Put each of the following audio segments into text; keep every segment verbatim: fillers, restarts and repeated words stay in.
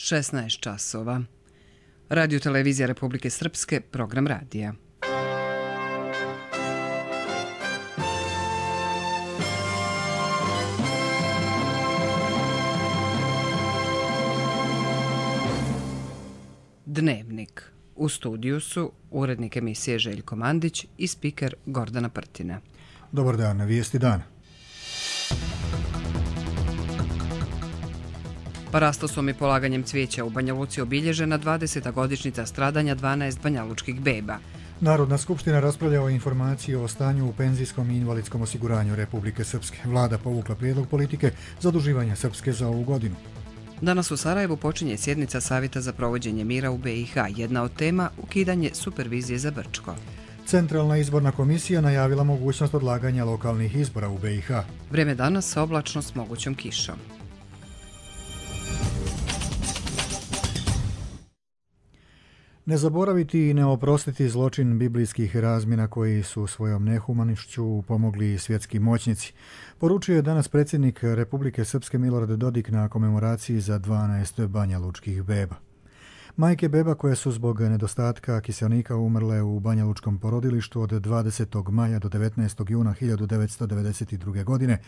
šesnaest časova. Radio televizija Republike Srpske, program radija. Dnevnik. U studiju su urednik emisije Željko Mandić i spiker Gordana Prtina. Dobar dan, na vijesti dana. Parastosom i polaganjem cvijeća u Banja Luci obilježena dvadeseta godišnjica stradanja dvanaest banjalučkih beba. Narodna skupština raspravlja o informaciji o stanju u penzijskom i invalidskom osiguranju Republike Srpske. Vlada povukla prijedlog politike zaduživanja Srpske za ovu godinu. Danas u Sarajevu počinje sjednica Savjeta za provođenje mira u be i ha. Jedna od tema – ukidanje supervizije za Brčko. Centralna izborna komisija najavila mogućnost odlaganja lokalnih izbora u be i ha. Vrijeme danas oblačno s mogućom kišom. Ne zaboraviti i ne oprostiti zločin biblijskih razmjena koji su svojom nehumanišću pomogli svjetski moćnici. Poručio je danas predsjednik Republike Srpske Milorad Dodik na komemoraciji za dvanaest banjalučkih beba. Majke beba koje su zbog nedostatka kiselnika umrle u banjalučkom porodilištu od dvadesetog maja do devetnaestog juna hiljadu devetsto devedeset druge. godine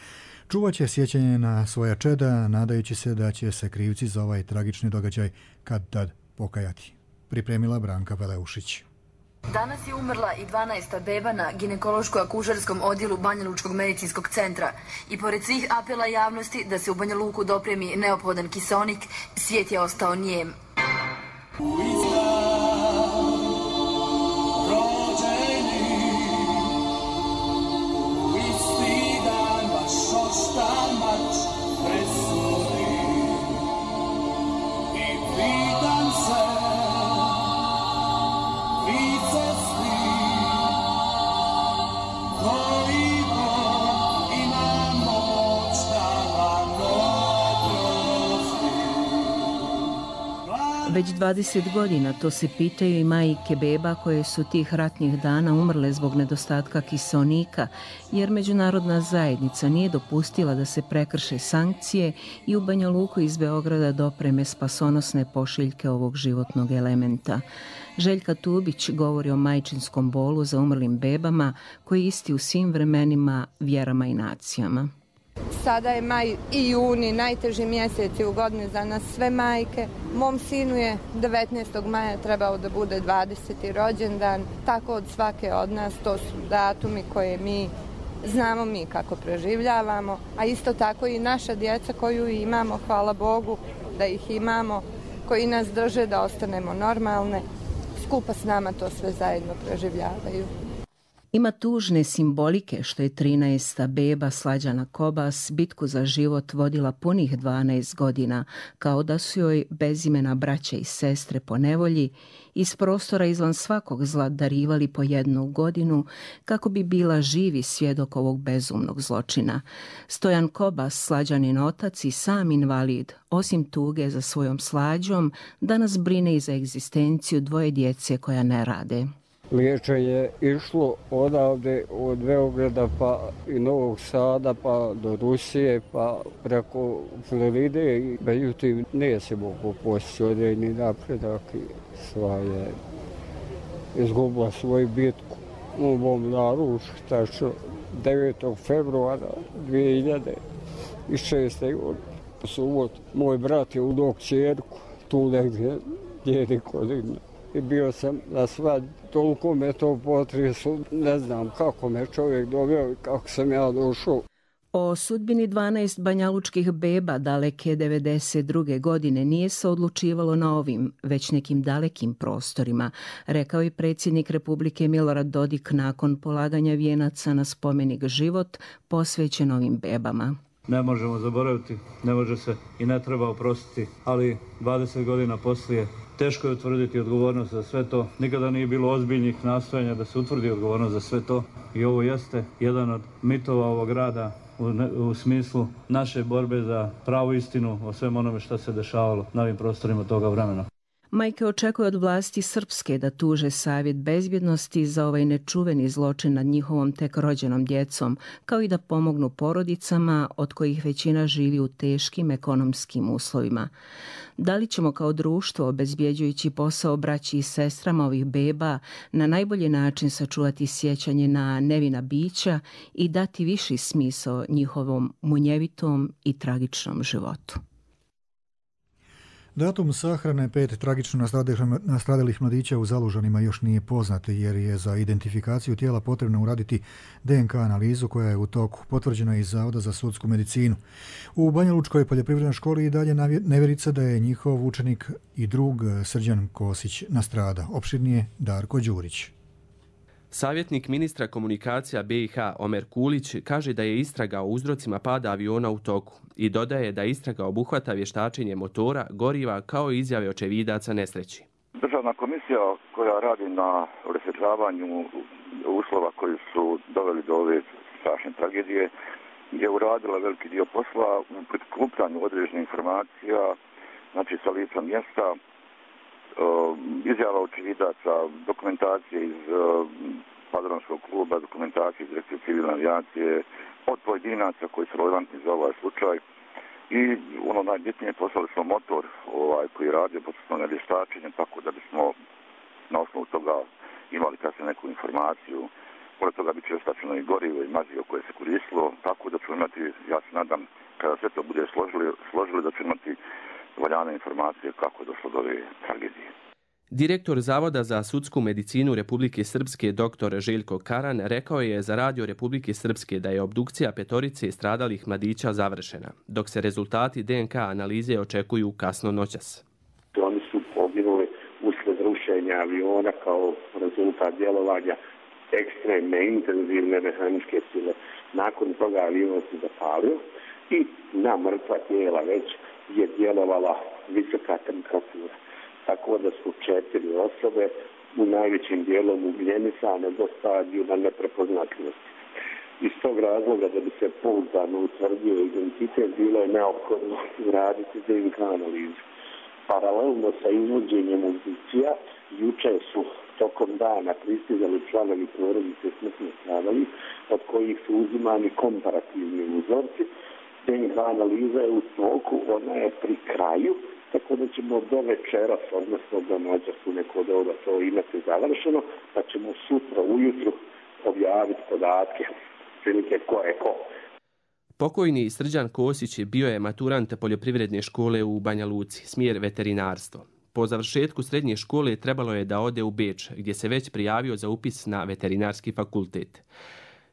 čuvat će sjećanje na svoja čeda, nadajući se da će se krivci za ovaj tragični događaj kad tad pokajati. Pripremila Branka Veleušić. Danas je umrla i dvanaesta beba na ginekološko-akušerskom odjelu Banjalučkog medicinskog centra. I pored svih apela javnosti da se u Banja Luku dopremi neophodan kiseonik, svijet je ostao nijem. Već dvadeset godina to se pitaju i majke beba koje su tih ratnih dana umrle zbog nedostatka kiseonika, jer međunarodna zajednica nije dopustila da se prekrše sankcije i u Banja Luku iz Beograda dopreme spasonosne pošiljke ovog životnog elementa. Željka Tubić govori o majčinskom bolu za umrlim bebama koji je isti u svim vremenima, vjerama i nacijama. Sada je maj i juni, najteži mjeseci u godini za nas sve majke. Mom sinu je devetnaestog maja trebao da bude dvadeseti rođendan. Tako od svake od nas, to su datumi koje mi znamo mi kako preživljavamo. A isto tako i naša djeca koju imamo, hvala Bogu da ih imamo, koji nas drže da ostanemo normalne. Skupa s nama to sve zajedno preživljavaju. Ima tužne simbolike što je trinaesta beba Slađana Kobas bitku za život vodila punih dvanaest godina, kao da su joj bezimena braće i sestre po nevolji iz prostora izvan svakog zla darivali po jednu godinu kako bi bila živi svjedok ovog bezumnog zločina. Stojan Kobas, Slađanin otac i sam invalid, osim tuge za svojom Slađom, danas brine i za egzistenciju dvoje djece koja ne rade. Liječenje je išlo odavde od Beograda pa i Novog Sada pa do Rusije pa preko Floride. Međutim, nije se mogu postići određeni napredak i sva je izgubila svoju bitku u mom naručju, tačno devetog februara dvije hiljade šeste. godine. Subot, moj brat je udao kćerku, tu negdje njeni godina. I bio sam na svadbi. Toliko me to potreslo, ne znam kako me čovjek doveo i kako sam ja došao. O sudbini dvanaest banjalučkih beba daleke devedeset druge. godine nije se odlučivalo na ovim, već nekim dalekim prostorima, rekao je predsjednik Republike Milorad Dodik nakon polaganja vijenaca na spomenik Život posvećen ovim bebama. Ne možemo zaboraviti, ne može se i ne treba oprostiti, ali dvadeset godina poslije teško je utvrditi odgovornost za sve to. Nikada nije bilo ozbiljnih nastojanja da se utvrdi odgovornost za sve to i ovo jeste jedan od mitova ovog rada u, ne, u smislu naše borbe za pravu istinu o svem onome što se dešavalo na ovim prostorima toga vremena. Majke očekuju od vlasti Srpske da tuže Savjet bezbjednosti za ovaj nečuveni zločin nad njihovom tek rođenom djecom, kao i da pomognu porodicama od kojih većina živi u teškim ekonomskim uslovima. Da li ćemo kao društvo, obezbjeđujući posao braći i sestrama ovih beba, na najbolji način sačuvati sjećanje na nevina bića i dati viši smisao njihovom munjevitom i tragičnom životu? Datum sahrane pet tragično nastradalih mladića u Zalužanima još nije poznat jer je za identifikaciju tijela potrebno uraditi D N K analizu koja je u toku. Potvrđeno je iz Zavoda za sudsku medicinu. U Banjalučkoj poljoprivrednoj školi i dalje nevjerica da je njihov učenik i drug Srđan Kosić nastradao. Opširnije Darko Đurić. Savjetnik ministra komunikacija B i H Omer Kulić kaže da je istraga o uzrocima pada aviona u toku i dodaje da istraga obuhvata vještačenje motora, goriva kao i izjave očevidaca nesreći. Državna komisija koja radi na rasvjetljavanju uslova koji su doveli do ove strašne tragedije je uradila veliki dio posla u prikupljanju određenih informacija, znači sa lica mjesta, izjava očevidaca, dokumentacije iz padronskog kluba, dokumentacije iz Direkcije civilne avijacije, od pojedinaca koji su relevantni za ovaj slučaj. I ono najbitnije, poslali smo motor ovaj, koji je radio posljedno vještačenje, tako da bismo na osnovu toga imali kasnije neku informaciju. Pored toga bi će vještačeno i gorivo i mazivo koje se koristilo, tako da ćemo imati, ja se nadam, kada sve to bude složili, složili da ćemo imati valjane informacije kako je došlo do ove tragedije. Direktor Zavoda za sudsku medicinu Republike Srpske dr Željko Karan rekao je za Radio Republike Srpske da je obdukcija petorice stradalih mladića završena, dok se rezultati D N K analize očekuju kasno noćas. Oni su poginuli uslijed rušenja aviona kao rezultat djelovanja ekstremne, intenzivne mehaničke sile. Nakon toga avion se zapalio i na mrtva tijela već je djelovala visoka temperatura. Tako da su četiri osobe u najvećim dijelom ugljenisane do stadijuma neprepoznatljivosti. Iz tog razloga da bi se pouzdano utvrdio identitet bilo je neophodno uraditi D N K analizu. Paralelno sa izvođenjem obdukcija, juče su tokom dana pristizali članovi porodice smrtno stradalih, od kojih su uzimani komparativni uzorci. D N K analiza je u toku, ona je pri kraju, tako da ćemo do večeras, odnosno do noća su neko doba to imati završeno, pa ćemo sutra ujutru objaviti podatke, prilike ko je ko. Pokojni Srđan Kosić bio je maturant poljoprivredne škole u Banja Luci, smjer veterinarstvo. Po završetku srednje škole trebalo je da ode u Beč, gdje se već prijavio za upis na veterinarski fakultet.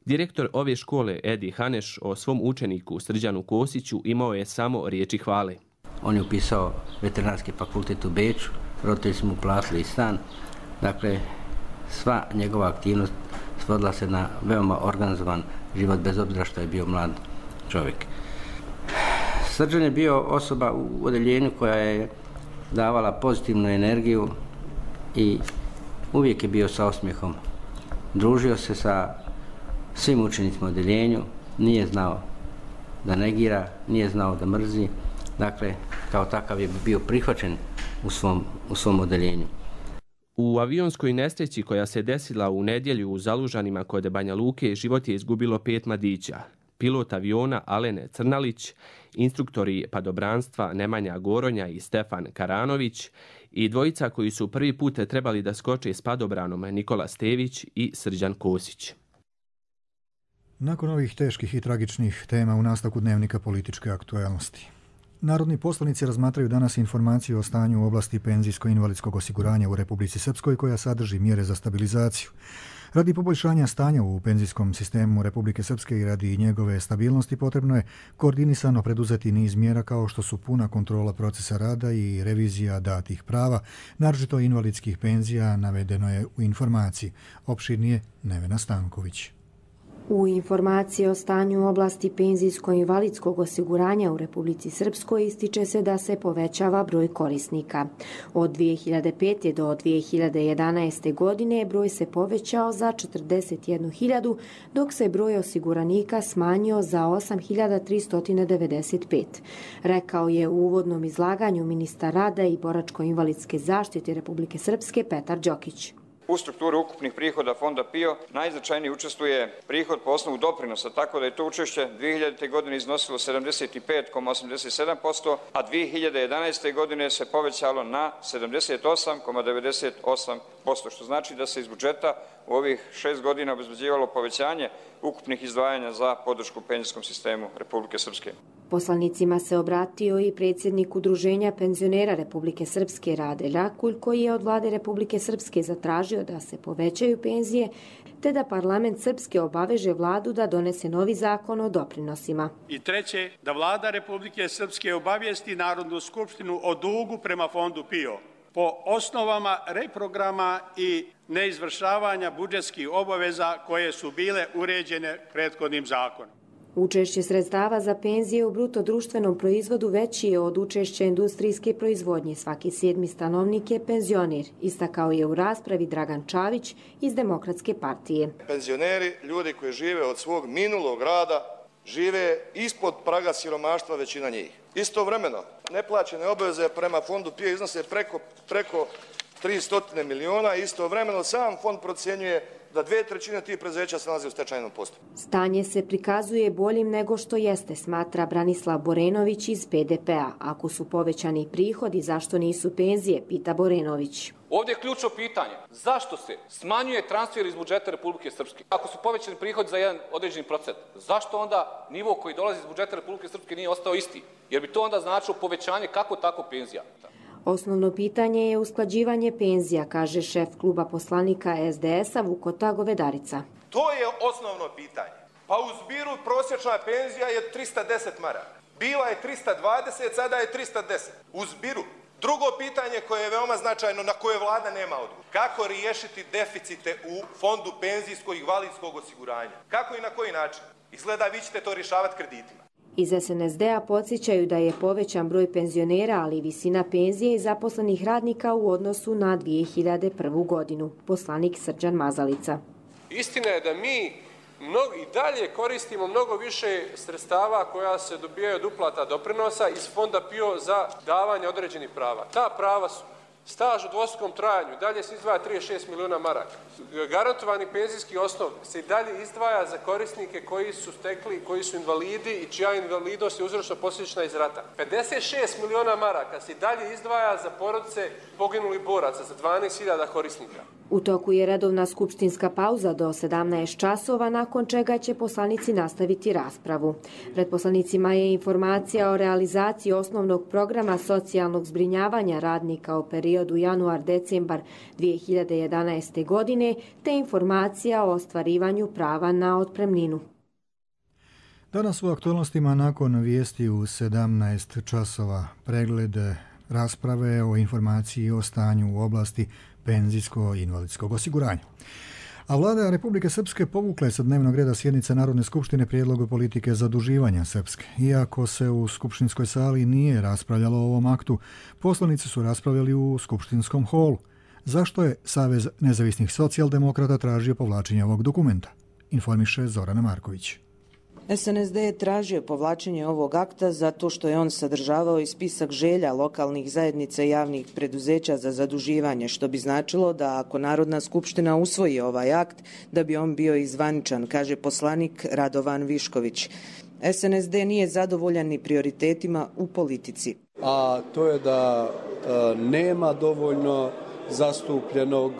Direktor ove škole Edi Haneš o svom učeniku Srđanu Kosiću imao je samo riječi hvale. On je upisao veterinarski fakultet u Beču, roditelji su mu platili stan. Dakle, sva njegova aktivnost svodila se na veoma organizovan život, bez obzira što je bio mlad čovjek. Srđan je bio osoba u odeljenju koja je davala pozitivnu energiju i uvijek je bio sa osmijehom. Družio se sa svim učenicima u odeljenju, nije znao da negira, nije znao da mrzi. Dakle, kao takav je bio prihvaćen u svom, u svom odeljenju. U avionskoj nesreći koja se desila u nedjelju u Zalužanima kod Banja Luke život je izgubilo pet mladića. Pilot aviona Alen Crnalić, instruktori padobranstva Nemanja Goronja i Stefan Karanović i dvojica koji su prvi put trebali da skoče s padobranom Nikola Stević i Srđan Kosić. Nakon ovih teških i tragičnih tema u nastavku dnevnika političke aktualnosti. Narodni poslanici razmatraju danas informaciju o stanju u oblasti penzijsko-invalidskog osiguranja u Republici Srpskoj koja sadrži mjere za stabilizaciju. Radi poboljšanja stanja u penzijskom sistemu Republike Srpske i radi njegove stabilnosti potrebno je koordinisano preduzeti niz mjera kao što su puna kontrola procesa rada i revizija datih prava, naročito invalidskih penzija, navedeno je u informaciji. Opširnije Nevena Stanković. U informaciji o stanju u oblasti penzijsko-invalidskog osiguranja u Republici Srpskoj ističe se da se povećava broj korisnika. Od dvije hiljade pete. do dvije hiljade jedanaeste. godine broj se povećao za četrdeset jednu hiljadu, dok se broj osiguranika smanjio za osam hiljada tristo devedeset pet. Rekao je u uvodnom izlaganju ministar rada i boračko-invalidske zaštite Republike Srpske Petar Đokić. U strukturi ukupnih prihoda fonda P I O najznačajniji učestvuje prihod po osnovu doprinosa, tako da je to učešće dvije hiljadite. godine iznosilo sedamdeset pet zarez osamdeset sedam posto, a dvije hiljade jedanaeste. godine se povećalo na sedamdeset osam zarez devedeset osam posto, što znači da se iz budžeta u ovih šest godina obezbeđivalo povećanje ukupnih izdvajanja za podršku penzijskom sistemu Republike Srpske. Poslanicima se obratio i predsjednik Udruženja penzionera Republike Srpske Rade Ljakulj, koji je od vlade Republike Srpske zatražio da se povećaju penzije, te da parlament Srpske obaveže vladu da donese novi zakon o doprinosima. I treće, da vlada Republike Srpske obavijesti Narodnu skupštinu o dugu prema fondu P I O po osnovama reprograma i neizvršavanja budžetskih obaveza koje su bile uređene prethodnim zakonom. Učešće sredstava za penzije u bruto društvenom proizvodu veći je od učešća industrijske proizvodnje. Svaki sedmi stanovnik je penzioner, istakao je u raspravi Dragan Čavić iz Demokratske partije. Penzioneri, ljudi koji žive od svog minulog rada, žive ispod praga siromaštva većina njih. Istovremeno, neplaćene obaveze prema fondu P I O iznose preko, preko tristo miliona, istovremeno sam fond procjenjuje da dve trećine tih preduzeća se nalazi u stečajnom postupku. Stanje se prikazuje boljim nego što jeste, smatra Branislav Borenović iz P D P-a. Ako su povećani prihodi, zašto nisu penzije, pita Borenović. Ovdje je ključno pitanje, zašto se smanjuje transfer iz budžeta Republike Srpske? Ako su povećani prihodi za jedan određeni procent, zašto onda nivo koji dolazi iz budžeta Republike Srpske nije ostao isti? Jer bi to onda značilo povećanje kako tako penzija. Osnovno pitanje je usklađivanje penzija, kaže šef kluba poslanika S D S-a Vukota Govedarica. To je osnovno pitanje. Pa u zbiru prosječna penzija je trista deset maraka. Bila je trista dvadeset, sada je trista deset. U zbiru. Drugo pitanje koje je veoma značajno, na koje vlada nema odgovor. Kako riješiti deficite u fondu penzijskog i invalidskog osiguranja? Kako i na koji način? Izgleda vi ćete to rješavati kreditima. Iz S N S D-a podsjećaju da je povećan broj penzionera, ali i visina penzije i zaposlenih radnika u odnosu na dvije hiljade prvu. godinu. Poslanik Srđan Mazalica. Istina je da mi mnogo, i dalje koristimo mnogo više sredstava koja se dobijaju od uplata doprinosa iz fonda P I O za davanje određenih prava. Ta prava su staž u dvostrukom trajanju, dalje se izdvaja trideset šest miliona maraka. Garantovani penzijski osnov se i dalje izdvaja za korisnike koji su stekli, koji su invalidi i čija invalidnost je uzročno posljedična iz rata. pedeset šest miliona maraka se i dalje izdvaja za porodice poginulih boraca, za dvanaest hiljada korisnika. U toku je redovna skupštinska pauza do sedamnaest časova, nakon čega će poslanici nastaviti raspravu. Pred poslanicima je informacija o realizaciji osnovnog programa socijalnog zbrinjavanja radnika u periodu januar-decembar dvije hiljade jedanaeste. godine, te informacija o ostvarivanju prava na otpremninu. Danas u aktualnostima nakon vijesti u sedamnaest časova pregled rasprave o informaciji o stanju u oblasti penzijsko-invalidskog osiguranja. A vlada Republike Srpske povukla je sa dnevnog reda sjednice Narodne skupštine prijedlog politike zaduživanja Srpske. Iako se u skupštinskoj sali nije raspravljalo o ovom aktu, poslanici su raspravljali u skupštinskom holu. Zašto je Savez nezavisnih socijaldemokrata tražio povlačenje ovog dokumenta? Informiše Zorana Marković. S N S D je tražio povlačenje ovog akta zato što je on sadržavao i spisak želja lokalnih zajednica i javnih preduzeća za zaduživanje, što bi značilo da ako Narodna skupština usvoji ovaj akt, da bi on bio izvaničan, kaže poslanik Radovan Višković. S N S D nije zadovoljan ni prioritetima u politici. A to je da e, nema dovoljno zastupljenog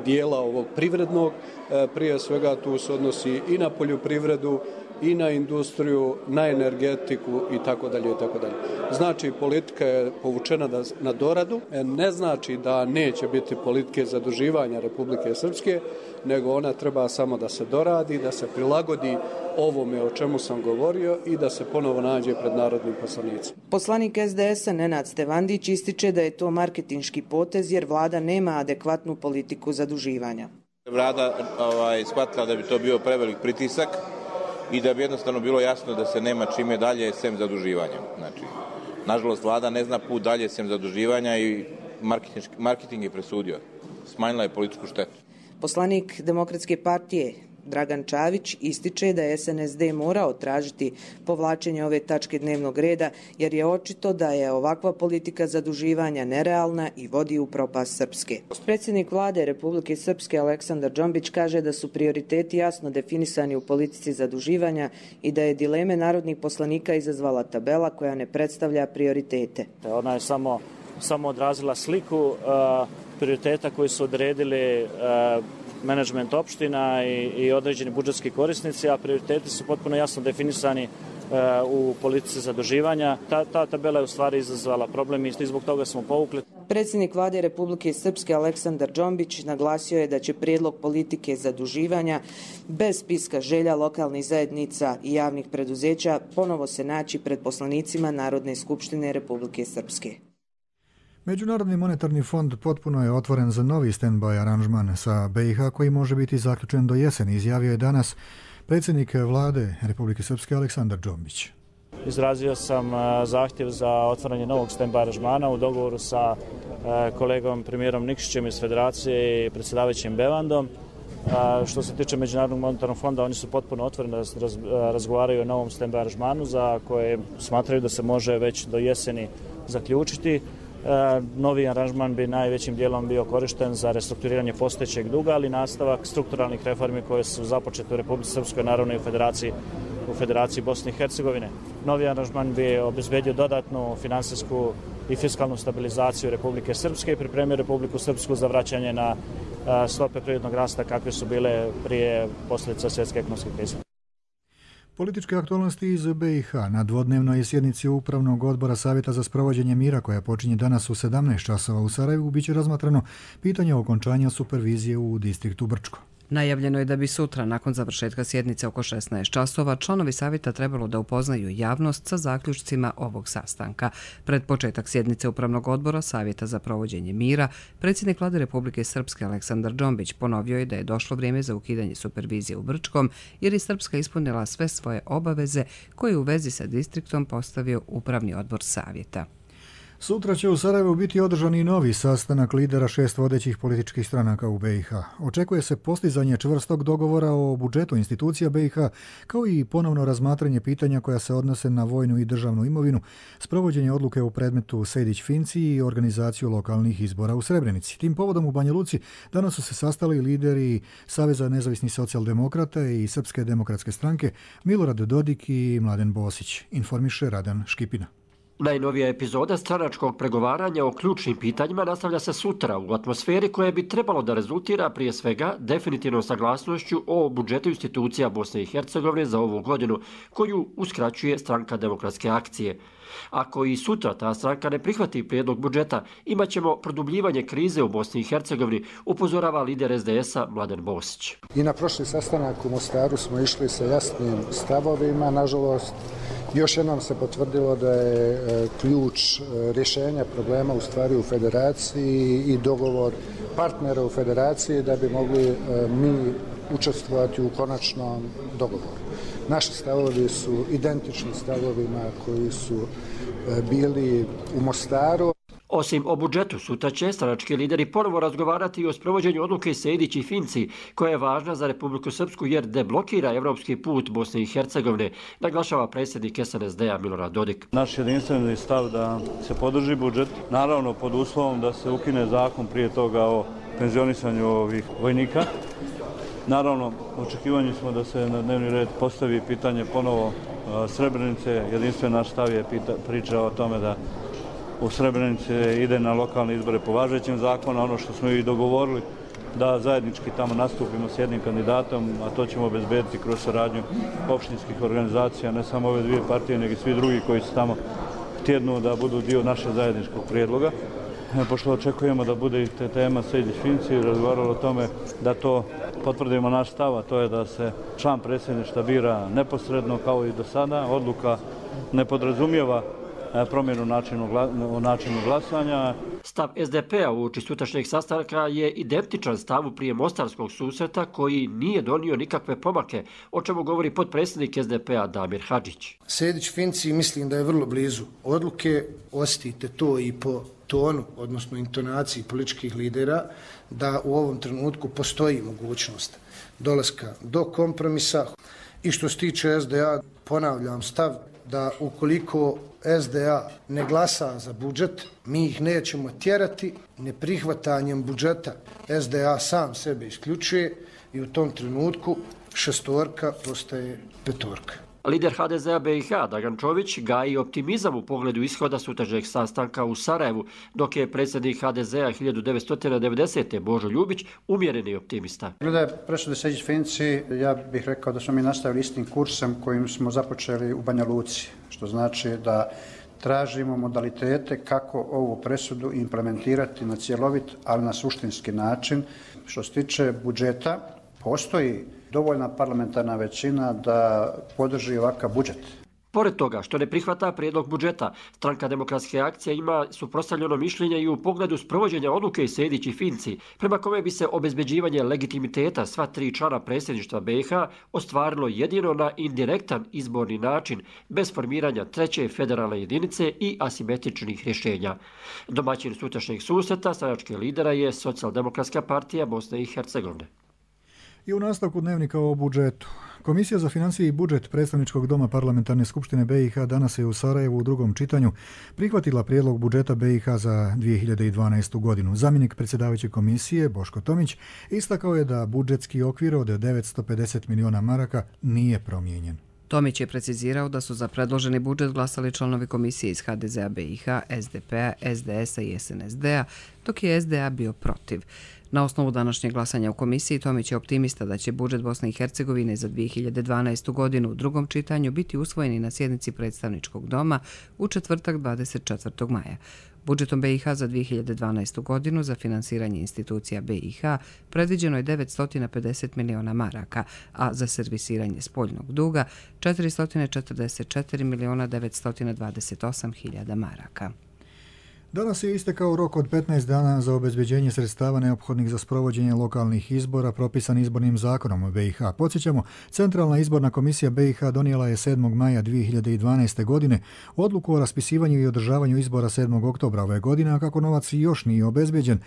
dijela ovog privrednog, e, prije svega tu se odnosi i na poljoprivredu, i na industriju, na energetiku i tako dalje i tako dalje. Znači, politika je povučena na doradu, ne znači da neće biti politike zaduživanja Republike Srpske, nego ona treba samo da se doradi, da se prilagodi ovome o čemu sam govorio i da se ponovo nađe pred narodnim poslanicima. Poslanik S D S-a Nenad Stevandić ističe da je to marketinški potez jer vlada nema adekvatnu politiku zaduživanja. Vlada ovaj, shvatila da bi to bio prevelik pritisak i da bi jednostavno bilo jasno da se nema čime dalje sem zaduživanja. Znači, nažalost, vlada ne zna put dalje sem zaduživanja i marketing je presudio. Smanjila je političku štetu. Poslanik Demokratske partije Dragan Čavić ističe da je S N S D morao tražiti povlačenje ove tačke dnevnog reda jer je očito da je ovakva politika zaduživanja nerealna i vodi u propast Srpske. Predsjednik vlade Republike Srpske Aleksandar Džombić kaže da su prioriteti jasno definisani u politici zaduživanja i da je dileme narodnih poslanika izazvala tabela koja ne predstavlja prioritete. Ona je samo, samo odrazila sliku uh, prioriteta koji su odredili uh, menadžment opština i, i određeni budžetski korisnici, a prioriteti su potpuno jasno definisani e, u politici zaduživanja. Ta, ta tabela je u stvari izazvala problem i zbog toga smo povukli. Predsjednik vlade Republike Srpske Aleksandar Džombić naglasio je da će prijedlog politike zaduživanja bez spiska želja lokalnih zajednica i javnih preduzeća ponovo se naći pred poslanicima Narodne skupštine Republike Srpske. Međunarodni monetarni fond potpuno je otvoren za novi stand-by aranžman sa B i H koji može biti zaključen do jeseni, izjavio je danas predsjednik vlade Republike Srpske Aleksandar Džombić. Izrazio sam zahtjev za otvaranje novog stand-by aranžmana u dogovoru sa kolegom premijerom Nikšićem iz Federacije i predsjedavajućim Bevandom. Što se tiče Međunarodnog monetarnog fonda, oni su potpuno otvoreni da razgovaraju o novom stand-by aranžmanu za koje smatraju da se može već do jeseni zaključiti. Novi aranžman bi najvećim dijelom bio korišten za restrukturiranje postojećeg duga, ali nastavak strukturalnih reformi koje su započete u Republici Srpskoj, naravno i u Federaciji, u Federaciji Bosne i Hercegovine. Novi aranžman bi obezbedio dodatnu finansijsku i fiskalnu stabilizaciju Republike Srpske i pripremio Republiku Srpsku za vraćanje na stope privrednog rasta kakve su bile prije posljedica svjetske ekonomske krize. Političke aktualnosti iz B i H na dvodnevnoj sjednici Upravnog odbora Savjeta za sprovođenje mira koja počinje danas u sedamnaest časova u Sarajevu biće razmatrano pitanje okončanja supervizije u distriktu Brčko. Najavljeno je da bi sutra, nakon završetka sjednice oko šesnaest časova, članovi savjeta trebalo da upoznaju javnost sa zaključcima ovog sastanka. Pred početak sjednice Upravnog odbora Savjeta za provođenje mira, predsjednik vlade Republike Srpske Aleksandar Džombić ponovio je da je došlo vrijeme za ukidanje supervizije u Brčkom, jer je Srpska ispunila sve svoje obaveze koje u vezi sa distriktom postavio Upravni odbor savjeta. Sutra će u Sarajevu biti održan i novi sastanak lidera šest vodećih političkih stranaka u B i H. Očekuje se postizanje čvrstog dogovora o budžetu institucija B i H, kao i ponovno razmatranje pitanja koja se odnose na vojnu i državnu imovinu, sprovođenje odluke u predmetu Sejdić-Finci i organizaciju lokalnih izbora u Srebrenici. Tim povodom u Banja Luci danas su se sastali lideri Saveza nezavisnih socijaldemokrata i Srpske demokratske stranke Milorad Dodik i Mladen Bosić, informiše Radan Škipina. Najnovija epizoda stranačkog pregovaranja o ključnim pitanjima nastavlja se sutra u atmosferi koja bi trebalo da rezultira prije svega definitivnom saglasnošću o budžetu institucija Bosne i Hercegovine za ovu godinu, koju uskraćuje stranka Demokratske akcije. Ako i sutra ta stranka ne prihvati prijedlog budžeta, imaćemo produbljivanje krize u Bosni i Hercegovini, upozorava lider S D S-a Mladen Bosić. I na prošli sastanak u Mostaru smo išli sa jasnim stavovima, nažalost. Još jednom se potvrdilo da je ključ rješenja problema u stvari u federaciji i dogovor partnera u federaciji da bi mogli mi učestvovati u konačnom dogovoru. Naši stavovi su identični stavovima koji su bili u Mostaru. Osim o budžetu, sutra će stranački lideri ponovo razgovarati i o sprovođenju odluke Sejdić i Finci, koja je važna za Republiku Srpsku jer deblokira evropski put Bosne i Hercegovine, naglašava predsjednik S N S D-a Milorad Dodik. Naš jedinstveni stav da se podrži budžet, naravno pod uslovom da se ukine zakon prije toga o penzionisanju ovih vojnika. Naravno, očekivanje smo da se na dnevni red postavi pitanje ponovo Srebrenice. Jedinstven naš stav je priča o tome da u Srebrenici ide na lokalne izbore po važećem zakonu, ono što smo i dogovorili da zajednički tamo nastupimo s jednim kandidatom, a to ćemo obezbediti kroz saradnju opštinskih organizacija, ne samo ove dvije partije, nego i svi drugi koji su tamo tjednu da budu dio našeg zajedničkog prijedloga. Pošto očekujemo da bude i te tema Sejdić-Finci, razgovaralo o tome da to potvrdimo naš stav, a to je da se član predsjedništva bira neposredno kao i do sada. Odluka ne podrazumijeva promjenu načinu, načinu glasanja. Stav S D P-a uoči sutrašnjeg sastanka je identičan stavu prije mostarskog susreta koji nije donio nikakve pomake, o čemu govori potpredsjednik S D P-a Damir Hadžić. Sejdić-Finci mislim da je vrlo blizu odluke, osjetite to i po tonu, odnosno intonaciji političkih lidera, da u ovom trenutku postoji mogućnost dolaska do kompromisa. I što se tiče S D A, ponavljam stav da ukoliko S D A ne glasa za budžet, mi ih nećemo tjerati, neprihvatanjem budžeta S D A sam sebe isključuje i u tom trenutku šestorka postaje petorka. Lider H D Z-a B i H Dragan Čović gaji optimizam u pogledu ishoda sutrašnjeg sastanka u Sarajevu, dok je predsjednik H D Z-a hiljadu devetsto devedesete. Božo Ljubić umjereni optimista. Glede presude Sejdić-Finci, ja bih rekao da smo mi nastavili istim kursem kojim smo započeli u Banja Luci, što znači da tražimo modalitete kako ovu presudu implementirati na cjelovit, ali na suštinski način. Što se tiče budžeta, postoji dovoljna parlamentarna većina da podrži ovakav budžet. Pored toga što ne prihvata prijedlog budžeta, Stranka demokratske akcije ima suprotstavljeno mišljenje i u pogledu sprovođenja odluke Sejdić i Finci, prema kome bi se obezbeđivanje legitimiteta sva tri člana predsjedništva B i H ostvarilo jedino na indirektan izborni način, bez formiranja treće federalne jedinice i asimetričnih rješenja. Domaćin sutrašnjeg susreta stranačkih lidera je Socijaldemokratska partija Bosne i Hercegovine. I u nastavku dnevnika o budžetu. Komisija za financije i budžet Predstavničkog doma Parlamentarne skupštine B i H danas je u Sarajevu u drugom čitanju prihvatila prijedlog budžeta B i H za dvije hiljade dvanaestu. godinu. Zamjenik predsjedavajuće komisije Boško Tomić istakao je da budžetski okvir od devetsto pedeset miliona maraka nije promijenjen. Tomić je precizirao da su za predloženi budžet glasali članovi komisije iz H D Z-a B i H, S D P-a, S D S-a i S N S D-a, dok je S D A bio protiv. Na osnovu današnjeg glasanja u komisiji, Tomić je optimista da će budžet Bosne i Hercegovine za dvije hiljade dvanaestu. godinu u drugom čitanju biti usvojeni na sjednici Predstavničkog doma u četvrtak dvadeset četvrtog maja. Budžetom B i H za dvije hiljade dvanaestu. godinu za finansiranje institucija B i H predviđeno je devetsto pedeset miliona maraka, a za servisiranje spoljnog duga četiristo četrdeset četiri miliona devetsto dvadeset osam hiljada maraka. Danas je istekao rok od petnaest dana za obezbeđenje sredstava neophodnih za sprovođenje lokalnih izbora propisan izbornim zakonom u B i H. Podsjećamo, Centralna izborna komisija B i H donijela je sedmog maja dvije hiljade dvanaeste. godine odluku o raspisivanju i održavanju izbora sedmog oktobra ove godine, a kako novac još nije obezbeđen,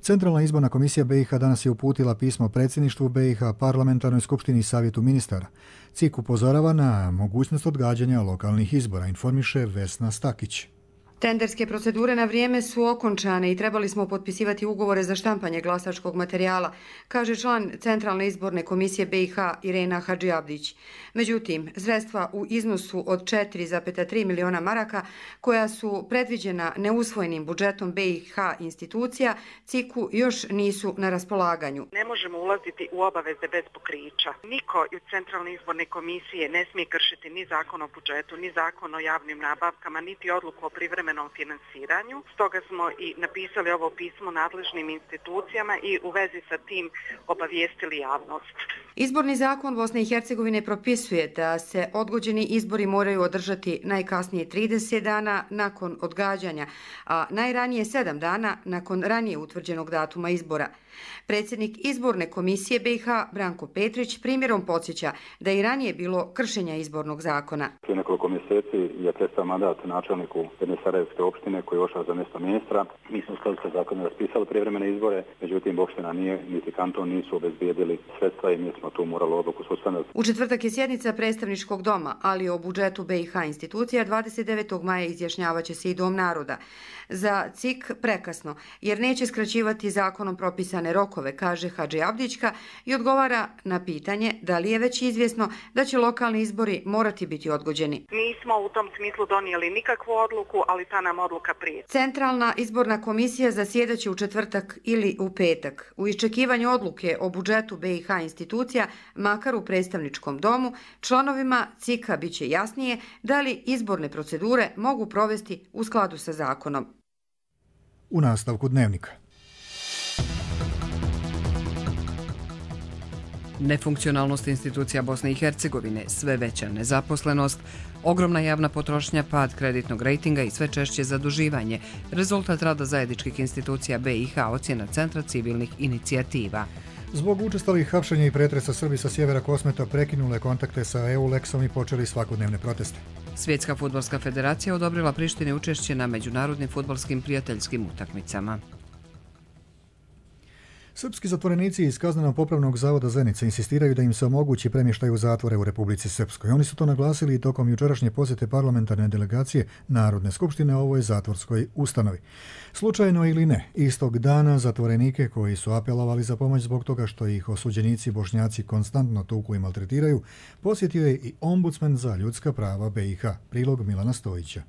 Centralna izborna komisija B i H danas je uputila pismo predsjedništvu B i H, Parlamentarnoj skupštini i Savjetu ministara. C I K upozorava na mogućnost odgađanja lokalnih izbora, informiše Vesna Stakić. Tenderske procedure na vrijeme su okončane i trebali smo potpisivati ugovore za štampanje glasačkog materijala, kaže član Centralne izborne komisije B i H Irena Hadžiabdić. Međutim, sredstva u iznosu od četiri zarez tri miliona maraka, koja su predviđena neusvojenim budžetom B i H institucija, C I K-u još nisu na raspolaganju. Ne možemo ulaziti u obaveze bez pokrića. Niko iz Centralne izborne komisije ne smije kršiti ni zakon o budžetu, ni zakon o javnim nabavkama, niti odluku o privremenom finansiranju. Stoga smo i napisali ovo pismo nadležnim institucijama i u vezi sa tim obavijestili javnost. Izborni zakon Bosne i Hercegovine propisuje da se odgođeni izbori moraju održati najkasnije trideset dana nakon odgađanja, a najranije sedam dana nakon ranije utvrđenog datuma izbora. Predsjednik izborne komisije B i H Branko Petrić primjerom podsjeća da je i ranije bilo kršenja izbornog zakona. Prije nekoliko mjeseci je prestao mandat načelniku jedne sarajevske opštine koji je ošao za mjesto ministra. Mi smo u skladu sa zakonom raspisali prijevremene izbore, međutim opština nije, niti kanton nisu obezbijedili sredstva i mi smo tu morali odluku suspendovati. U četvrtak je sjednica predstavničkog doma, ali o budžetu B i H institucija dvadeset devetog maja izjašnjavaće se i Dom naroda. Za C I K prekasno, jer neće skraćivati zakonom propisane rokove, kaže Hadžiabdićka i odgovara na pitanje da li je već izvjesno da će lokalni izbori morati biti odgođeni. Nismo u tom smislu donijeli nikakvu odluku, ali ta nam odluka prije. Centralna izborna komisija zasjedaće u četvrtak ili u petak. U iščekivanju odluke o budžetu B i H institucija, makar u predstavničkom domu, članovima C I K-a biće jasnije da li izborne procedure mogu provesti u skladu sa zakonom. U nastavku dnevnika. Nefunkcionalnost institucija Bosne i Hercegovine, sve veća nezaposlenost, ogromna javna potrošnja, pad kreditnog rejtinga i sve češće zaduživanje. Rezultat rada zajedničkih institucija B i H, ocjena Centra civilnih inicijativa. Zbog učestalih hapšenja i pretresa Srbi sa sjevera Kosmeta prekinule kontakte sa EULEX-om i počeli svakodnevne proteste. Svjetska fudbalska federacija odobrila Prištini učešće na međunarodnim fudbalskim prijateljskim utakmicama. Srpski zatvorenici iz Kazneno-popravnog zavoda Zenica insistiraju da im se omogući premještaj u zatvore u Republici Srpskoj. Oni su to naglasili i tokom jučerašnje posjete parlamentarne delegacije Narodne skupštine ovoj zatvorskoj ustanovi. Slučajno ili ne, istog dana zatvorenike koji su apelovali za pomoć zbog toga što ih osuđenici Bošnjaci konstantno tuku i maltretiraju, posjetio je i ombudsman za ljudska prava B i H. Prilog Milana Stojića.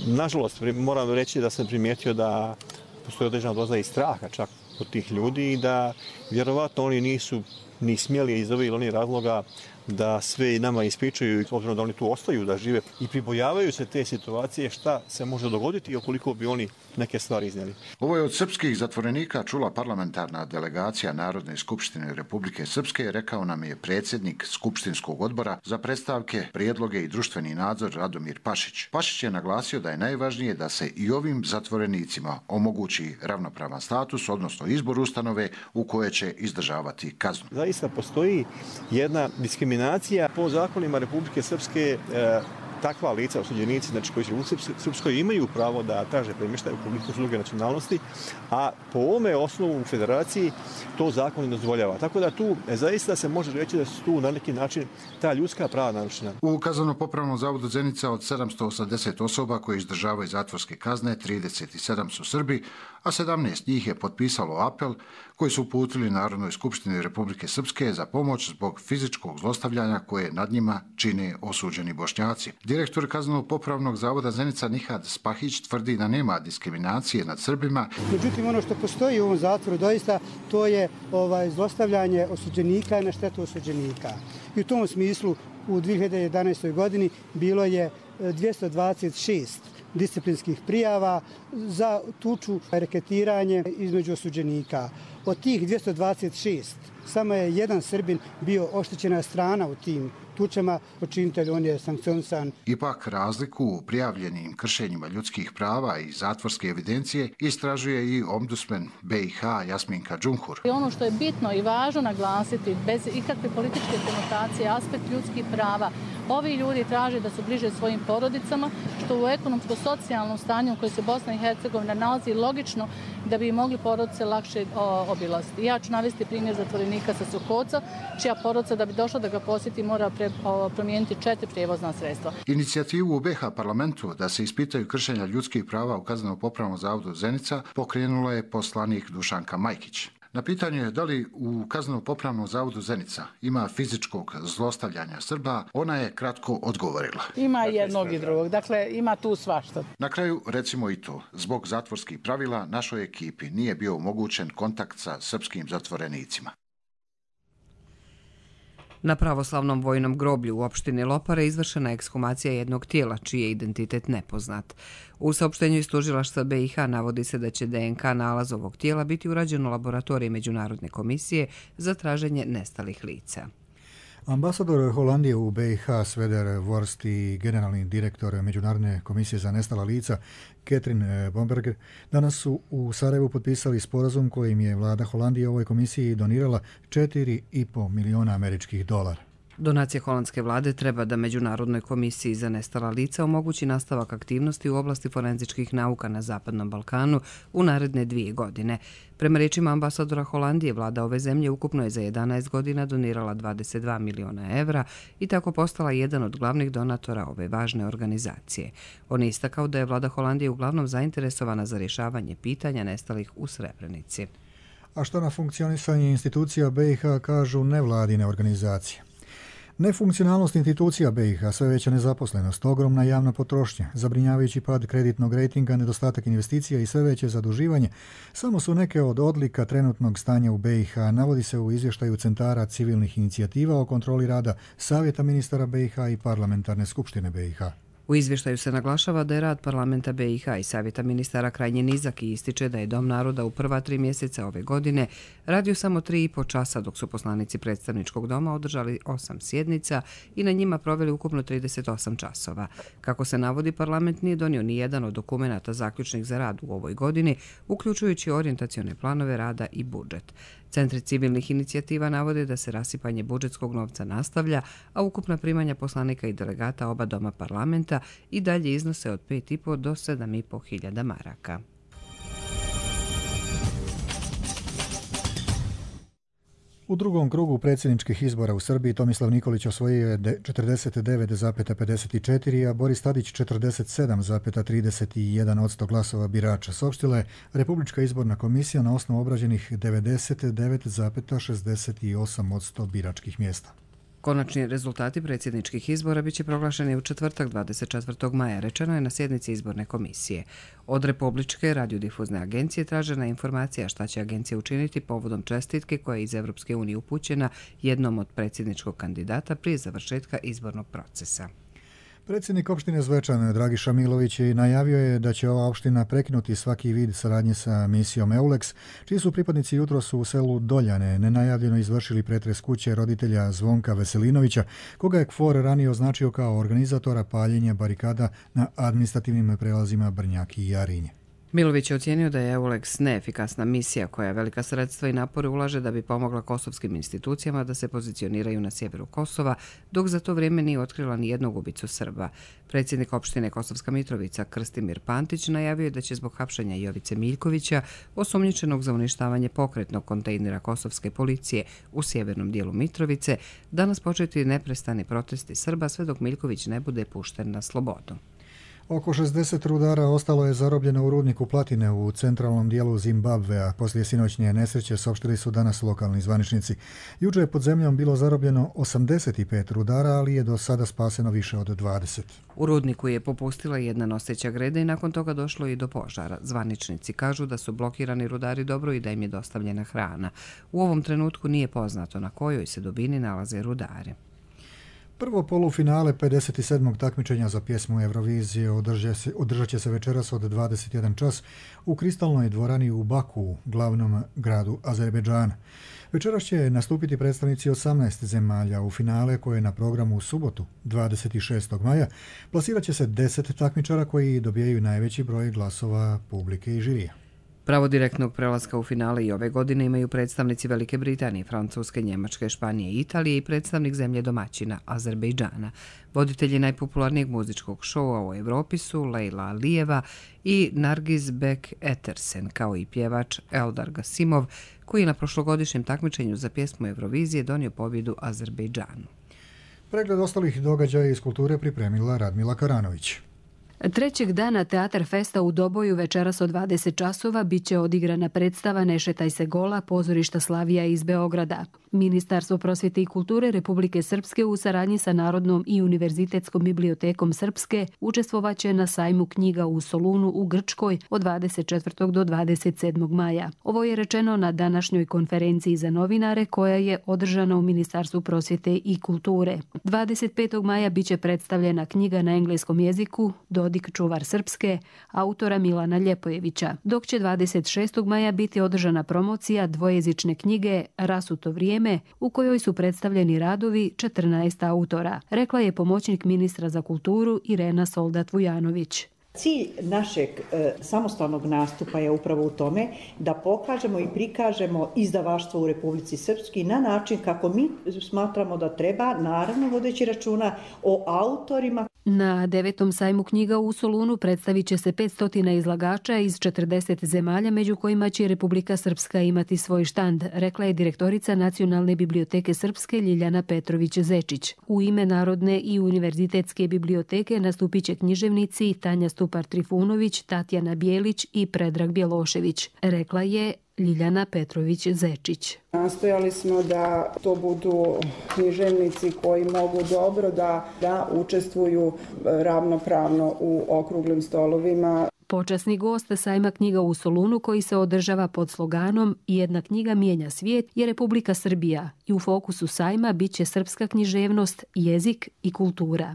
Nažalost, moram reći da sam primijetio da postoji određena doza i straha čak od tih ljudi i da vjerovatno oni nisu ni smjeli iz ovih ili onih razloga da sve nama ispričaju, obzirom da oni tu ostaju, da žive i pribojavaju se te situacije šta se može dogoditi i okoliko bi oni neke stvari iznijeli. Ovo je od srpskih zatvorenika čula parlamentarna delegacija Narodne skupštine Republike Srpske, rekao nam je predsjednik Skupštinskog odbora za predstavke, prijedloge i društveni nadzor Radomir Pašić. Pašić je naglasio da je najvažnije da se i ovim zatvorenicima omogući ravnopravan status, odnosno izbor ustanove u koje će izdržavati kaznu. Zaista postoji jedna diskriminacija po zakonima Republike Srpske. E, takva lica, osuđenici, znači koji su u Srpskoj imaju pravo da traže premještaj ukoliko su druge nacionalnosti, a po ovome osnovu u federaciji to zakon ne dozvoljava. Tako da tu e, zaista se može reći da su tu na neki način ta ljudska prava narušena. U Kazneno-popravnom zavodu Zenica od sedamsto osamdeset osoba koje izdržavaju zatvorske kazne, trideset sedam su Srbi, a sedamnaest njih je potpisalo apel koji su uputili Narodnoj skupštini Republike Srpske za pomoć zbog fizičkog zlostavljanja koje nad njima čine osuđeni Bošnjaci. Direktor Kazneno-popravnog zavoda Zenica Nihad Spahić tvrdi da nema diskriminacije nad Srbima. Međutim, ono što postoji u ovom zatvoru doista to je ovaj, zlostavljanje osuđenika na štetu osuđenika. I u tom smislu u dvije hiljade jedanaestoj. godini bilo je dvjesto dvadeset šest disciplinskih prijava za tuču, reketiranje između osuđenika. Od tih dvjesto dvadeset šest samo je jedan Srbin bio oštećena strana u tim tučama, počinitelj on je sankcionisan. Ipak razliku u prijavljenim kršenjima ljudskih prava i zatvorske evidencije istražuje i ombudsman B i H Jasminka Džumhur. Ono što je bitno i važno naglasiti, bez ikakve političke konotacije, aspekt ljudskih prava, ovi ljudi traže da su bliže svojim porodicama, što u ekonomsko-socijalnom stanju u kojoj se Bosna i Hercegovina nalazi logično da bi mogli porodice lakše obilaziti. Ja ću navesti primjer zatvorenika sa Sukoca, čija porodica da bi došla da ga posjeti mora pre, o, promijeniti četiri prijevozna sredstva. Inicijativu u B H parlamentu da se ispitaju kršenja ljudskih prava u Kazneno-popravnom zavodu Zenica pokrenula je poslanik Dušanka Majkić. Na pitanje da li u Kazneno-popravnom zavodu Zenica ima fizičkog zlostavljanja Srba, ona je kratko odgovorila. Ima jednog i drugog, dakle ima tu svašta. Na kraju recimo i to, zbog zatvorskih pravila našoj ekipi nije bio omogućen kontakt sa srpskim zatvorenicima. Na pravoslavnom vojnom groblju u opštini Lopare izvršena je ekshumacija jednog tijela, čiji je identitet nepoznat. U saopštenju iz tužilaštva B i H navodi se da će D N K nalaz ovog tijela biti urađen u laboratoriji Međunarodne komisije za traženje nestalih lica. Ambasador Holandije u B i H Sveder Worst i generalni direktor Međunarodne komisije za nestala lica Catherine Bomberger danas su u Sarajevu potpisali sporazum kojim je vlada Holandije ovoj komisiji donirala četiri i po miliona američkih dolara. Donacija holandske vlade treba da Međunarodnoj komisiji za nestala lica omogući nastavak aktivnosti u oblasti forenzičkih nauka na Zapadnom Balkanu u naredne dvije godine. Prema rečima ambasadora Holandije, vlada ove zemlje ukupno je za jedanaest godina donirala dvadeset dva miliona evra i tako postala jedan od glavnih donatora ove važne organizacije. On je istakao da je vlada Holandije uglavnom zainteresovana za rješavanje pitanja nestalih u Srebrenici. A što na funkcionisanje institucija B i H kažu nevladine organizacije? Nefunkcionalnost institucija B i H, sve veća nezaposlenost, ogromna javna potrošnja, zabrinjavajući pad kreditnog rejtinga, nedostatak investicija i sve veće zaduživanje samo su neke od odlika trenutnog stanja u B i H, navodi se u izvještaju Centara civilnih inicijativa o kontroli rada Savjeta ministara B i H i Parlamentarne skupštine B i H. U izvještaju se naglašava da je rad parlamenta B i H i Savjeta ministara krajnje nizak i ističe da je Dom naroda u prva tri mjeseca ove godine radio samo tri i po časa, dok su poslanici predstavničkog doma održali osam sjednica i na njima proveli ukupno trideset osam časova. Kako se navodi, parlament nije donio ni jedan od dokumenata zaključnih za rad u ovoj godini, uključujući orijentacione planove rada i budžet. Centri civilnih inicijativa navode da se rasipanje budžetskog novca nastavlja, a ukupna primanja poslanika i delegata oba doma parlamenta i dalje iznose od pet i po do sedam i po hiljada maraka. U drugom krugu predsjedničkih izbora u Srbiji Tomislav Nikolić osvojio je četrdeset devet zarez pedeset četiri, a Boris Tadić četrdeset sedam zarez trideset jedan odsto glasova birača. Saopštila je Republička izborna komisija na osnovu obrađenih devedeset devet zarez šezdeset osam odsto biračkih mjesta. Konačni rezultati predsjedničkih izbora biće proglašeni u četvrtak dvadeset četvrtog maja, rečeno je na sjednici izborne komisije. Od Republičke radiodifuzne agencije tražena je informacija šta će agencija učiniti povodom čestitke koja je iz Evropske unije upućena jednom od predsjedničkog kandidata prije završetka izbornog procesa. Predsjednik opštine Zvečan Dragiša Milović najavio je da će ova opština prekinuti svaki vid saradnje sa misijom EULEX, čiji su pripadnici jutros u selu Doljane nenajavljeno izvršili pretres kuće roditelja Zvonka Veselinovića, koga je K F O R ranije označio kao organizatora paljenja barikada na administrativnim prelazima Brnjak i Jarinje. Milović je ocijenio da je EULEX neefikasna misija koja velika sredstva i napore ulaže da bi pomogla kosovskim institucijama da se pozicioniraju na sjeveru Kosova, dok za to vrijeme nije otkrila ni jednog ubicu Srba. Predsjednik opštine Kosovska Mitrovica Krstimir Pantić najavio je da će zbog hapšenja Jovice Miljkovića, osumnjičenog za uništavanje pokretnog kontejnera kosovske policije u sjevernom dijelu Mitrovice, danas početi neprestani protesti Srba sve dok Miljković ne bude pušten na slobodu. Oko šezdeset rudara ostalo je zarobljeno u rudniku platine u centralnom dijelu Zimbabvea. Poslije sinoćnje nesreće saopštili su danas lokalni zvaničnici. Juče je pod zemljom bilo zarobljeno osamdeset pet rudara, ali je do sada spaseno više od dvadeset. U rudniku je popustila jedna noseća greda i nakon toga došlo i do požara. Zvaničnici kažu da su blokirani rudari dobro i da im je dostavljena hrana. U ovom trenutku nije poznato na kojoj se dubini nalaze rudari. Prvo polufinale pedeset sedmog takmičenja za pjesmu Eurovizije održat će se večeras od dvadeset jedan čas u kristalnoj dvorani u Baku, glavnom gradu Azerbejdžana. Večeras će nastupiti predstavnici osamnaest zemalja. U finale koje je na programu u subotu dvadeset šestog maja plasirat će se deset takmičara koji dobijaju najveći broj glasova publike i žirija. Pravo direktnog prelaska u finale i ove godine imaju predstavnici Velike Britanije, Francuske, Njemačke, Španije i Italije i predstavnik zemlje domaćina, Azerbejdžana. Voditelji najpopularnijeg muzičkog šoua u Evropi su Lejla Alijeva i Nargiz Bek Etersen, kao i pjevač Eldar Gasimov, koji je na prošlogodišnjem takmičenju za pjesmu Eurovizije donio pobjedu Azerbejdžanu. Pregled ostalih događaja iz kulture pripremila Radmila Karanović. Trećeg dana Teatar Festa u Doboju večeras od dvadeset časova biće odigrana predstava Ne šetaj se gola pozorišta Slavija iz Beograda. Ministarstvo prosvjete i kulture Republike Srpske u saradnji sa Narodnom i Univerzitetskom bibliotekom Srpske učestvovaće na sajmu knjiga u Solunu u Grčkoj od dvadeset četvrtog do dvadeset sedmog maja. Ovo je rečeno na današnjoj konferenciji za novinare koja je održana u Ministarstvu prosvjete i kulture. dvadeset petog maja biće predstavljena knjiga na engleskom jeziku Dodik čuvar Srpske, autora Milana Ljepojevića, dok će dvadeset šestog maja biti održana promocija dvojezične knjige Rasuto vrijeme, u kojoj su predstavljeni radovi četrnaest autora, rekla je pomoćnik ministra za kulturu Irena Soldat-Vujanović. Cilj našeg e, samostalnog nastupa je upravo u tome da pokažemo i prikažemo izdavaštvo u Republici Srpskoj na način kako mi smatramo da treba, naravno vodeći računa o autorima. Na devetom sajmu knjiga u Solunu predstavit će se petsto izlagača iz četrdeset zemalja, među kojima će Republika Srpska imati svoj štand, rekla je direktorica Nacionalne biblioteke Srpske Ljiljana Petrović-Zečić. U ime Narodne i Univerzitetske biblioteke nastupit će književnici Tanja Stupar-Trifunović, Tatjana Bijelić i Predrag Bjelošević, rekla je Ljiljana Petrović-Zečić. Nastojali smo da to budu književnici koji mogu dobro da, da učestvuju ravnopravno u okruglim stolovima. Počasni gost sajma knjiga u Solunu, koji se održava pod sloganom Jedna knjiga mijenja svijet, je Republika Srbija i u fokusu sajma bit će srpska književnost, jezik i kultura.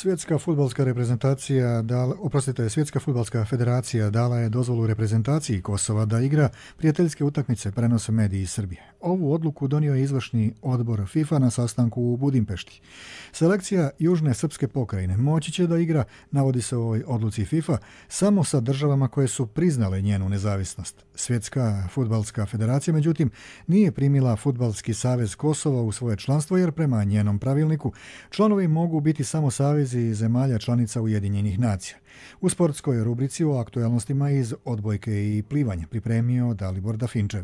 Svjetska fudbalska reprezentacija, dala, oprostite, Svjetska fudbalska federacija dala je dozvolu reprezentaciji Kosova da igra prijateljske utakmice, prenose mediji iz Srbije. Ovu odluku donio je izvršni odbor FIFA na sastanku u Budimpešti. Selekcija Južne srpske pokrajine moći će da igra, navodi se u ovoj odluci FIFA, samo sa državama koje su priznale njenu nezavisnost. Svjetska fudbalska federacija, međutim, nije primila Fudbalski savez Kosova u svoje članstvo, jer prema njenom pravilniku članovi mogu biti samo savezi zemalja članica Ujedinjenih nacija. U sportskoj rubrici o aktualnostima iz odbojke i plivanja pripremio Dalibor Dafinčev.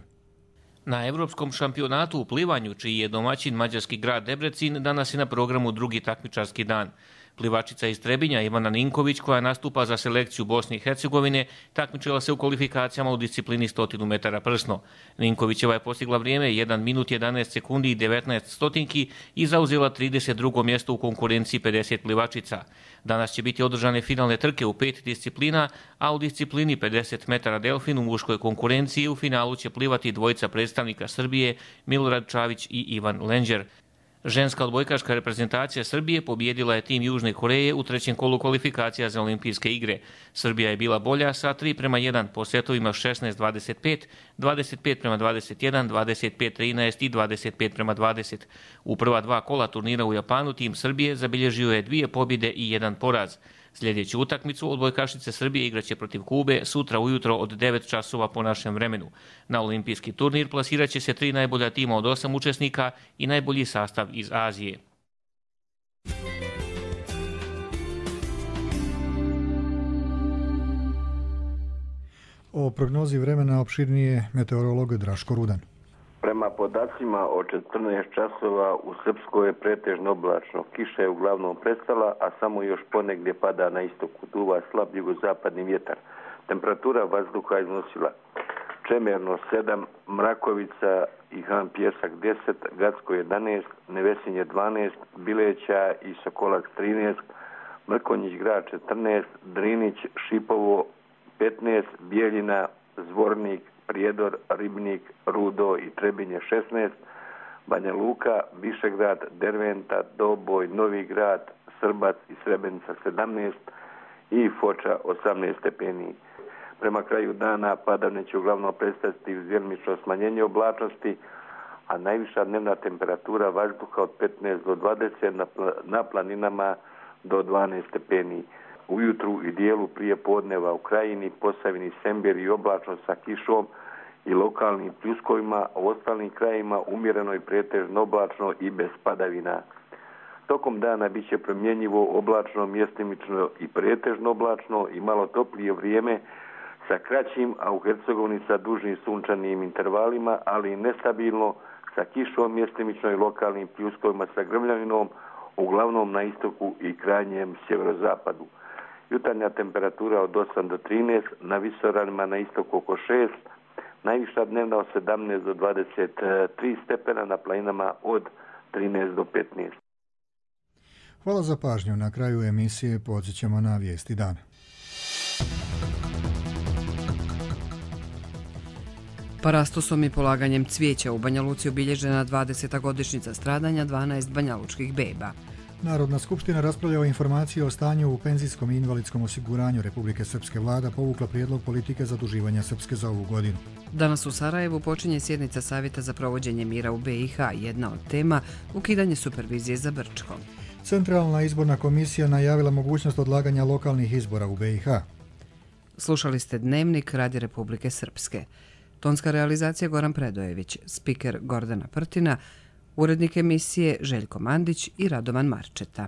Na Evropskom šampionatu u plivanju, čiji je domaćin mađarski grad Debrecin, danas je na programu drugi takmičarski dan. Plivačica iz Trebinja Ivana Ninković, koja nastupa za selekciju Bosne i Hercegovine, takmičila se u kvalifikacijama u disciplini sto metara prsno. Ninkovićeva je postigla vrijeme jedan minut jedanaest sekundi i devetnaest stotinki i zauzela trideset drugo mjesto u konkurenciji pedeset plivačica. Danas će biti održane finalne trke u pet disciplina, a u disciplini pedeset metara delfin u muškoj konkurenciji u finalu će plivati dvojica predstavnika Srbije, Milorad Čavić i Ivan Lenđer. Ženska odbojkaška reprezentacija Srbije pobijedila je tim Južne Koreje u trećem kolu kvalifikacija za olimpijske igre. Srbija je bila bolja sa tri prema jedan po setovima šesnaest dvadeset pet, dvadeset pet prema dvadeset jedan, dvadeset pet trinaest i dvadeset pet prema dvadeset. U prva dva kola turnira u Japanu tim Srbije zabilježio je dvije pobjede i jedan poraz. Sljedeću utakmicu odbojkašice Srbije igraće protiv Kube sutra ujutro od devet časova po našem vremenu. Na olimpijski turnir plasiraće se tri najbolja tima od osam učesnika i najbolji sastav iz Azije. O prognozi vremena opširnije meteorolog Draško Rudan. Prema podacima od četrnaest časova u Srpskoj je pretežno oblačno. Kiša je uglavnom prestala, a samo još ponegdje pada na istoku. Duva slab jugozapadni vjetar. Temperatura vazduha iznosila Čemerno sedam, Mrakovica i Han Pjesak deset, Gacko jedanaest, Nevesinje dvanaest, Bileća i Sokolac trinaest, Mrkonjić grad četrnaest, Drinić, Šipovo petnaest, Bijeljina, Zvornik, Prijedor, Ribnik, Rudo i Trebinje šesnaest, Banja Luka, Višegrad, Derventa, Doboj, Novi grad, Srbac i Srebrenica sedamnaest i Foča osamnaest stepeni. Prema kraju dana padavine će uglavnom predstaviti uz djelomično smanjenje oblačnosti, a najviša dnevna temperatura vazduha od petnaest do dvadeset, na, na planinama do dvanaest stepeni. Ujutru i dijelu prije podneva u Krajini, Posavini, Semberi i oblačno sa kišom i lokalnim pljuskovima, a u ostalim krajima umjereno i pretežno oblačno i bez padavina. Tokom dana bit će promjenjivo oblačno, mjestimično i pretežno oblačno i malo toplije vrijeme sa kraćim, a u Hercegovini sa dužim sunčanim intervalima, ali i nestabilno sa kišom, mjestimično i lokalnim pljuskovima sa grmljavinom, uglavnom na istoku i krajnjem sjeverozapadu. Jutarnja temperatura od osam do trinaest, na visoravnima na istoku oko šest, najviša dnevna od sedamnaest do dvadeset tri stepena, na planinama od trinaest do petnaest. Hvala za pažnju. Na kraju emisije podsjećamo na vijesti dana. Parastosom i polaganjem cvijeća u Banja Luci obilježena dvadeseta godišnjica stradanja dvanaest banjalučkih beba. Narodna skupština raspravlja o informaciji o stanju u penzijskom i invalidskom osiguranju Republike Srpske. Vlada povukla prijedlog politike zaduživanja Srpske za ovu godinu. Danas u Sarajevu počinje sjednica Savjeta za provođenje mira u B i H. Jedna od tema ukidanje supervizije za Brčko. Centralna izborna komisija najavila mogućnost odlaganja lokalnih izbora u B i H. Slušali ste Dnevnik Radi Republike Srpske. Tonska realizacija Goran Predojević, spiker Gordana Prtina, urednik emisije Željko Mandić i Radovan Marčeta.